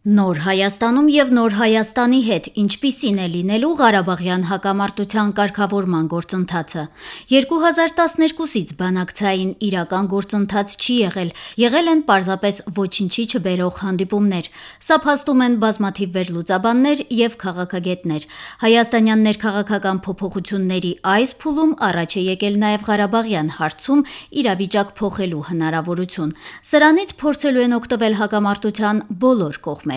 Նոր Հայաստանում եւ Նոր Հայաստանի հետ ինչպիսին է լինելու Ղարաբաղյան հակամարտության կարգավորման գործընթացը։ 2012-ից բանակցային իրական գործընթաց չի եղել են պարզապես ոչինչի չբերող հանդիպումներ։ Սա փաստում են բազմաթիվ վերլուծաբաններ եւ քաղաքագետներ։ Հայաստանյան ներքաղաքական փոփոխությունների այս փուլում առաջ է եկել նաեւ Ղարաբաղյան հարցում իրավիճակ փոխելու հնարավորություն։ Սրանից փորձելու են օգտվել հակամարտության բոլոր կողմերը։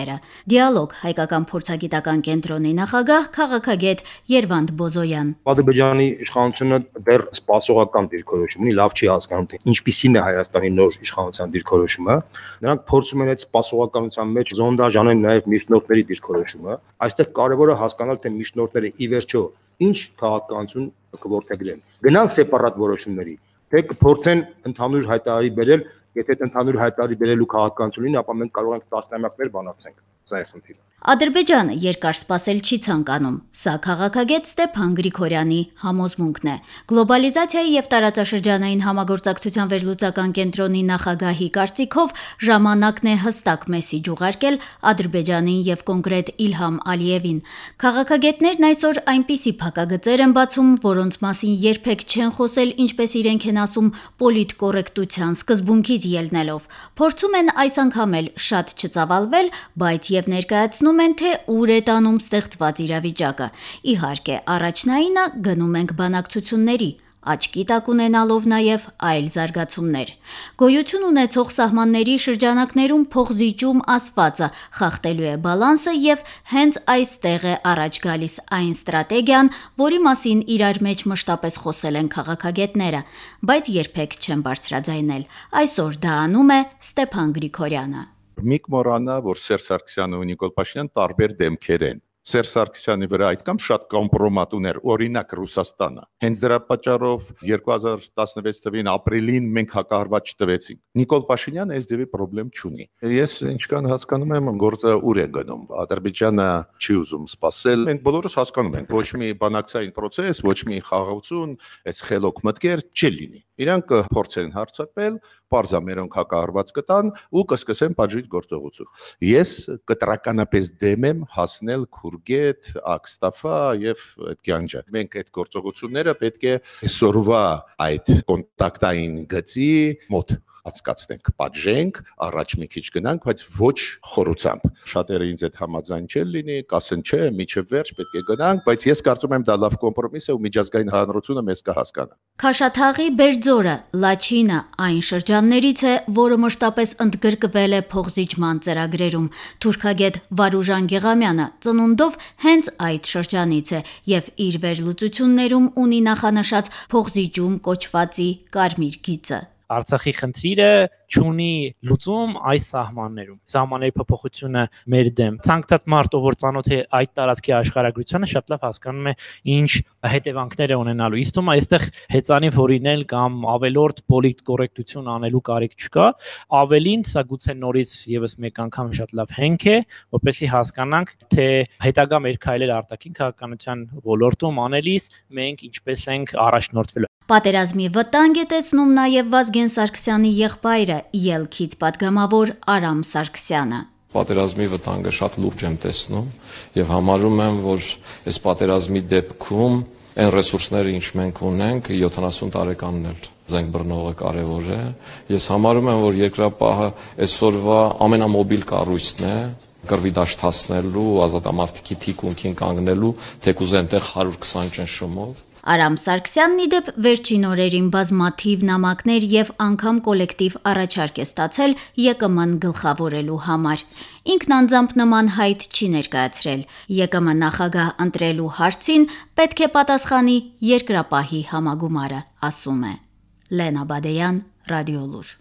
Դիալոգ հայկական փորձագիտական կենտրոնի նախագահ քաղաքագետ Երվանդ Բոզոյան։ Ադրբեջանի իշխանությունը դեռ սպասողական դիրքորոշում ունի, լավ չի հասկանում, թե ինչպիսին է Հայաստանի նոր իշխանության դիրքորոշումը։ Նրանք փորձում են այդ սպասողականության մեջ զոնդաժ անել նաև միջնորդների դիրքորոշումը։ Այստեղ կարևորը հասկանալ, թե միջնորդները ի վերջո ինչ քաղաքականություն կորդեգրեն։ Գնան սեպարատ որոշումների, թե կփորձեն ընդհանուր հայտարարի բերել, եթե այդ ընդհանուր հայտարարի բերելու քաղաքականություն լինի, ապա մենք կարող ենք տասնամյակներ բանակցենք։ Սա է խնդիրը։ Ադրբեջանը երկար սպասել չի ցանկանում։ Սա քաղաքագետ Ստեփան Գրիգորյանի համոզմունքն է։ Գլոբալիզացիայի եւ տարածաշրջանային համագործակցության վերլուծական կենտրոնի նախագահի կարծիքով ժամանակն է հստակ մեսիջ ուղարկել Ադրբեջանին եւ կոնկրետ Իլհամ Ալիևին։ Քաղաքագետներն այսօր այնպիսի փակագծեր են բացում, որոնց մասին երբեք չեն խոսել, ինչպես իրենք են ասում, պոլիտկորեկտության սկզբունքից ելնելով։ Փորձում են այս անգամ էլ շատ չծավալվել, բայց եւ ներկայացնում են, թե ուր է տանում ստեղծված իրավիճակը։ Իհարկե, առաջնայինը գնում ենք բանակցությունների, աչքի տակ ունենալով նաև այլ զարգացումներ։ Գոյություն ունեցող սահմանների շրջանակներում փոխզիջում ասվածը խախտելու է բալանսը եւ հենց այստեղ է առաջ գալիս այն ստրատեգիան, որի մասին իրար մեջ մշտապես խոսել են քաղաքագետները, բայց երբեք չեն բարձրաձայնել։ Այսօր դա անում է Ստեփան Գրիգորյանը։ Միք մոռանա, որ Սերժ Սարգսյանը ու Նիկոլ Փաշինյանը տարբեր դեմքեր են։ Սերժ Սարգսյանի վրա այդքան շատ կոմպրոմատ ուներ, օրինակ Ռուսաստանը։ Հենց դրա պատճառով 2016 թվին ապրիլին մենք հակահարված չտվեցինք։ Նիկոլ Փաշինյանը այս ձևի խնդրեմ չունի։ Ես ինչքան հասկանում եմ, գործը ուր է գնում։ Ադրբեջանը չի ուզում սпасել։ Մենք բոլորս հասկանում ենք, ոչ մի բանակցային process, ոչ մի խաղաղություն, այս խելոք մտքեր չի լինի։ Իրանք փորձեն հարձակվել, պարզամերոնք հակահարված կտան ու կսկսեն պատժիչ գործողություն։ Ես կտրականապես դեմ եմ հասնել Քուրգետ, Աքստաֆա եւ այդ կյանջը։ Մենք այդ գործողությունները պետք է այսօրվա այդ կոնտակտային գծի մոտ ածկացնենք, պատժենք, առաջ մի քիչ գնանք, բայց ոչ խորությամբ։ Շատերը ինձ այդ համաձայն չեն լինի, կասեն չէ, միջև վերջ պետք է գնանք, բայց ես կարծում եմ դա լավ կոմպրոմիս է ու միջազգային հանրությունը մեզ կհասկանա։ Քաշաթաղի Բերձորը, Լաչինը այն շրջաններից է, որը մշտապես ընդգրկվել է փոխզիջման ծրագրերում։ Թուրքագետ Վարուժան Գեղամյանը ծնունդով հենց այդ շրջանից է եւ իր վերլուծություններում ունի նախանշած փոխզիջում կոչվածի կարմիր գիծը։ Արցախի խնդիրը չունի լուծում այս սահմաններում։ Սահմանների փոփոխությունը մեր դեմ։ Ցանկացած մարդ, ով որ ծանոթ է այդ տարածքի աշխարհագրությանը, շատ լավ հասկանում է ինչ հետևանքներ է ունենալու։ Իսկ թվում է այստեղ հեծանիվ հորինել կամ ավելորդ պոլիտկորեկտություն անելու կարիք չկա։ Ավելին, սա գուցե նորից եւս մեկ անգամ շատ լավ հենք է, որպեսզի հասկանանք, թե հետագա մեր քայլեր արտաքին քաղաքականության ոլորտում անելիս մենք ինչպես ենք առաջնորդվելու։ Պատերազմի վտանգ է տեսնում նաև Վազգեն Սարգսյանի եղբայրը, ելքից պատգամավոր Արամ Սարգսյանը։ Պատերազմի վտանգը շատ լուրջ եմ տեսնում եւ համարում եմ, որ այս պատերազմի դեպքում այն ռեսուրսները, ինչ մենք ունենք, 70 տարեկանն էլ զենք բռնողը կարևոր է։ Ես համարում եմ, որ երկրապահը այսօրվա ամենամոբիլ կառույցն է կռվի դաշտ հասնելու, ազատամարտիկի թիկունքին կանգնելու, թեկուզ այնտեղ 120 ճնշումով։ Արամ Սարգսյանն ի դեպ վերջին օրերին բազմաթիվ նամակներ եւ անգամ կոլեկտիվ առաջարկ է ստացել ԵԿՄ-ն գլխավորելու համար։ Ինքն անձամբ նման հայտ չի ներկայացրել։ ԵԿՄ նախագահ ընտրելու հարցին պետք է պատասխանի երկրապահի համագումարը, ասում է։ Լենա Բադեյան, Ռադիոլուր։